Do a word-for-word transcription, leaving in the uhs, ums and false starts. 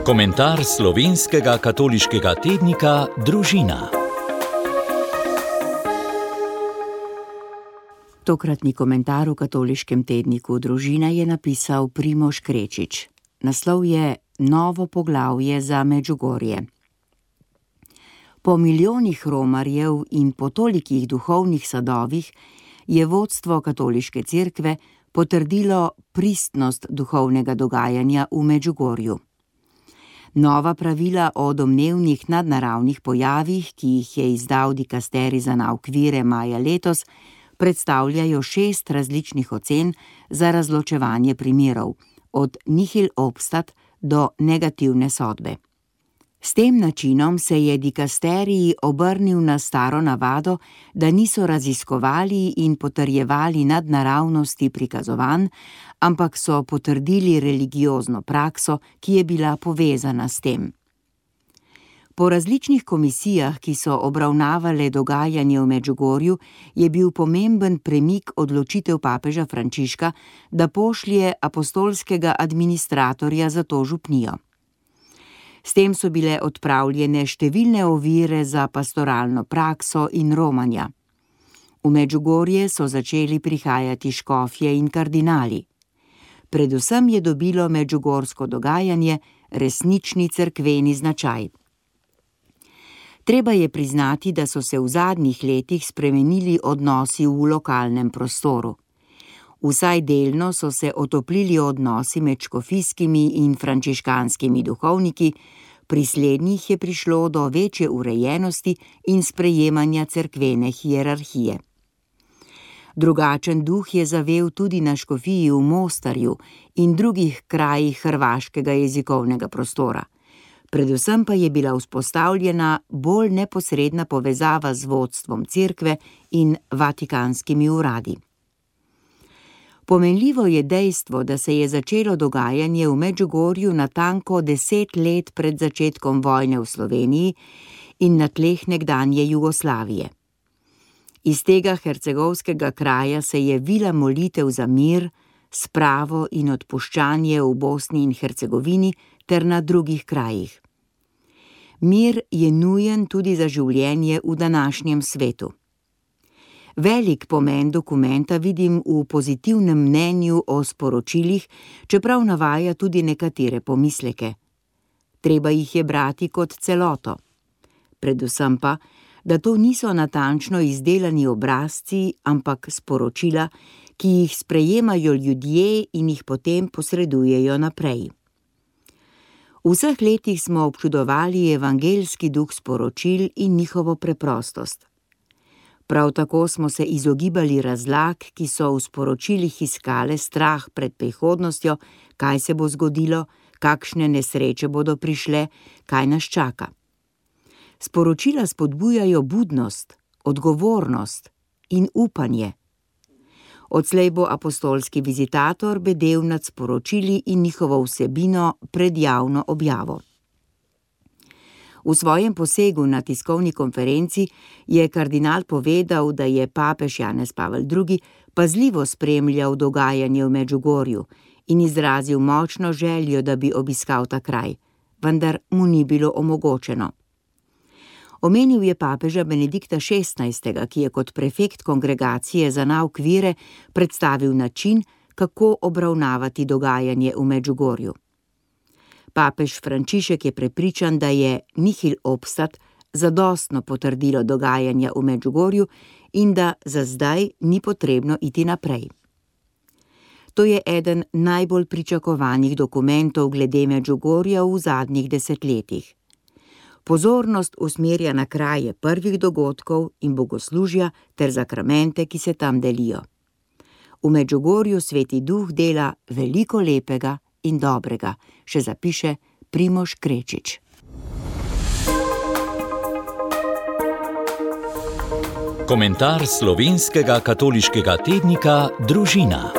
Komentar slovenskega katoliškega tednika Družina. Tokratni komentar v katoliškem tedniku Družina je napisal Primož Krečič. Naslov je Novo poglavje za Medžugorje. Po milijonih romarjev in po tolikih duhovnih sadovih je vodstvo katoliške cerkve potrdilo pristnost duhovnega dogajanja v Medžugorju. Nova pravila o domnevnih nadnaravnih pojavih, ki jih je izdal dikasterij za nauk vire maja letos, predstavljajo šest različnih ocen za razločevanje primerov, od nihil obstat do negativne sodbe. S tem načinom se je dikasterij obrnil na staro navado, da niso raziskovali in potrjevali nadnaravnosti prikazovanj, ampak so potrdili religiozno prakso, ki je bila povezana s tem. Po različnih komisijah, ki so obravnavale dogajanje v Medžugorju, je bil pomemben premik odločitev papeža Frančiška, da pošlje apostolskega administratorja za to župnijo. S tem so bile odpravljene številne ovire za pastoralno prakso in romanja. V Medžugorje so začeli prihajati škofje in kardinali. Predvsem je dobilo medžugorsko dogajanje resnični cerkveni značaj. Treba je priznati, da so se v zadnjih letih spremenili odnosi v lokalnem prostoru. Vsaj delno so se otoplili odnosi med škofijskimi in frančiškanskimi duhovniki, pri slednjih je prišlo do večje urejenosti in sprejemanja cerkvene hierarhije. Drugačen duh je zavel tudi na škofiji v Mostarju in drugih krajih hrvaškega jezikovnega prostora. Predvsem pa je bila vzpostavljena bolj neposredna povezava z vodstvom cerkve in vatikanskimi uradi. Pomenljivo je dejstvo, da se je začelo dogajanje v Medžugorju natanko deset let pred začetkom vojne v Sloveniji in na tleh nekdanje Jugoslavije. Iz tega hercegovskega kraja se je vila molitev za mir, spravo in odpuščanje v Bosni in Hercegovini ter na drugih krajih. Mir je nujen tudi za življenje v današnjem svetu. Velik pomen dokumenta vidim v pozitivnem mnenju o sporočilih, čeprav navaja tudi nekatere pomisleke. Treba jih je brati kot celoto. Predvsem pa, da to niso natančno izdelani obrazci, ampak sporočila, ki jih sprejemajo ljudje in jih potem posredujejo naprej. V vseh letih smo občudovali evangeljski duh sporočil in njihovo preprostost. Prav tako smo se izogibali razlag, ki so v sporočilih iskale strah pred prihodnostjo, kaj se bo zgodilo, kakšne nesreče bodo prišle, kaj nas čaka. Sporočila spodbujajo budnost, odgovornost in upanje. Odslej bo apostolski vizitator bedel nad sporočili in njihovo vsebino pred javno objavo. V svojem posegu na tiskovni konferenci je kardinal povedal, da je papež Janez Pavel drugi pazljivo spremljal dogajanje v Medžugorju in izrazil močno željo, da bi obiskal ta kraj, vendar mu ni bilo omogočeno. Omenil je papeža Benedikta šestnajstega, ki je kot prefekt kongregacije za nauk vire predstavil način, kako obravnavati dogajanje v Medžugorju. Papež Frančišek je prepričan, da je nihil obstat zadostno potrdilo dogajanja v Medžugorju in da za zdaj ni potrebno iti naprej. To je eden najbolj pričakovanih dokumentov glede Medžugorja v zadnjih desetletjih. Pozornost usmerja na kraje prvih dogodkov in bogoslužja ter zakramente, ki se tam delijo. V Medžugorju Sveti Duh dela veliko lepega in dobrega, še zapiše Primož Krečič. Komentar slovenskega katoliškega tednika Družina.